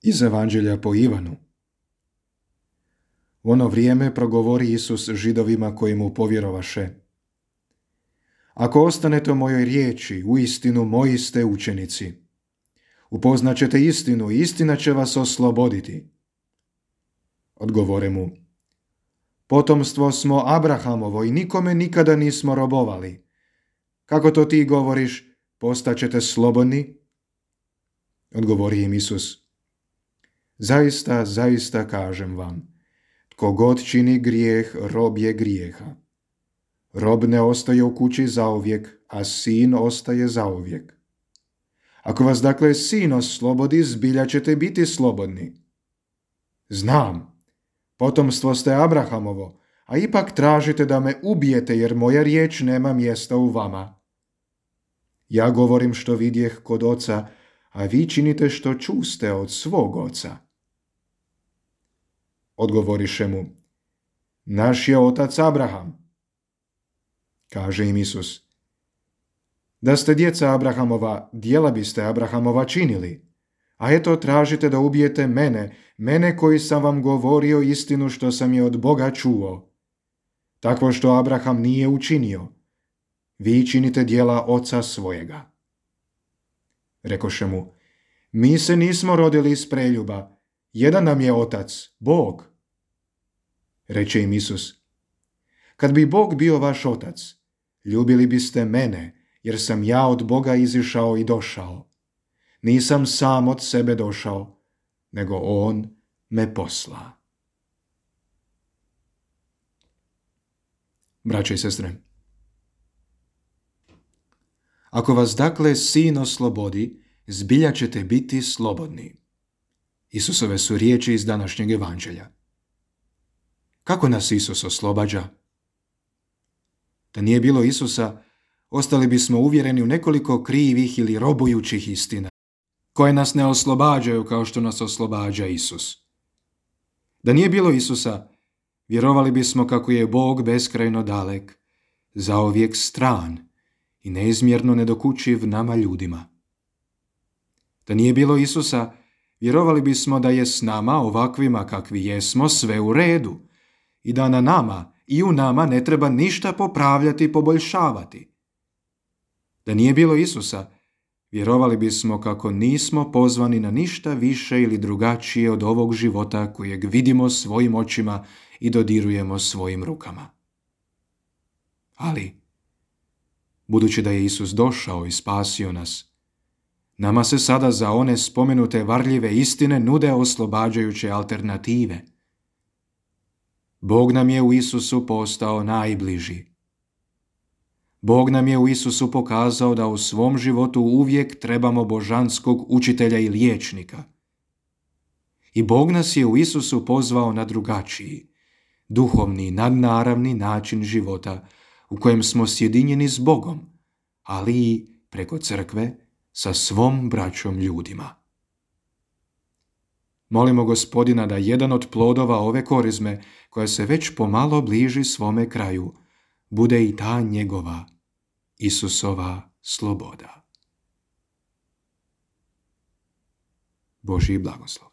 Iz Evanđelja po Ivanu. U ono vrijeme progovori Isus Židovima koji mu povjerovaše: Ako ostanete u mojoj riječi, uistinu moji ste učenici. Upoznaćete istinu i istina će vas osloboditi. Odgovore mu: Potomstvo smo Abrahamovo i nikome nikada nismo robovali. Kako to ti govoriš, postaćete slobodni? Odgovori im Isus: Zaista, zaista kažem vam, tko god čini grijeh, rob je grijeha. Rob ne ostaje u kući zauvijek, a sin ostaje zauvijek. Ako vas dakle sin oslobodi, zbilja ćete biti slobodni. Znam, potomstvo ste Abrahamovo, a ipak tražite da me ubijete jer moja riječ nema mjesta u vama. Ja govorim što vidjeh kod oca, a vi činite što čuste od svog oca. Odgovoriše mu: Naš je otac Abraham. Kaže im Isus: Da ste djeca Abrahamova, djela biste Abrahamova činili. A eto tražite da ubijete mene koji sam vam govorio istinu što sam je od Boga čuo. Takvo što Abraham nije učinio. Vi činite djela oca svojega. Rekoše mu: Mi se nismo rodili iz preljuba. Jedan nam je otac, Bog. Reče im Isus: Kad bi Bog bio vaš otac, ljubili biste mene, jer sam ja od Boga izišao i došao. Nisam sam od sebe došao, nego On me posla. Braće i sestre, ako vas dakle sin oslobodi, zbilja ćete biti slobodni. Isusove su riječi iz današnjeg evanđelja. Kako nas Isus oslobađa? Da nije bilo Isusa, ostali bismo uvjereni u nekoliko krivih ili robujućih istina, koje nas ne oslobađaju kao što nas oslobađa Isus. Da nije bilo Isusa, vjerovali bismo kako je Bog beskrajno dalek, zauvijek stran i neizmjerno nedokučiv nama ljudima. Da nije bilo Isusa, vjerovali bismo da je s nama, ovakvima kakvi jesmo, sve u redu i da na nama i u nama ne treba ništa popravljati i poboljšavati. Da nije bilo Isusa, vjerovali bismo kako nismo pozvani na ništa više ili drugačije od ovog života kojeg vidimo svojim očima i dodirujemo svojim rukama. Ali, budući da je Isus došao i spasio nas, nama se sada za one spomenute varljive istine nude oslobađajuće alternative. Bog nam je u Isusu postao najbliži. Bog nam je u Isusu pokazao da u svom životu uvijek trebamo božanskog učitelja i liječnika. I Bog nas je u Isusu pozvao na drugačiji, duhovni, nadnaravni način života u kojem smo sjedinjeni s Bogom, ali i preko crkve sa svom braćom ljudima. Molimo Gospodina da jedan od plodova ove korizme, koja se već pomalo bliži svome kraju, bude i ta njegova, Isusova sloboda. Božji blagoslov.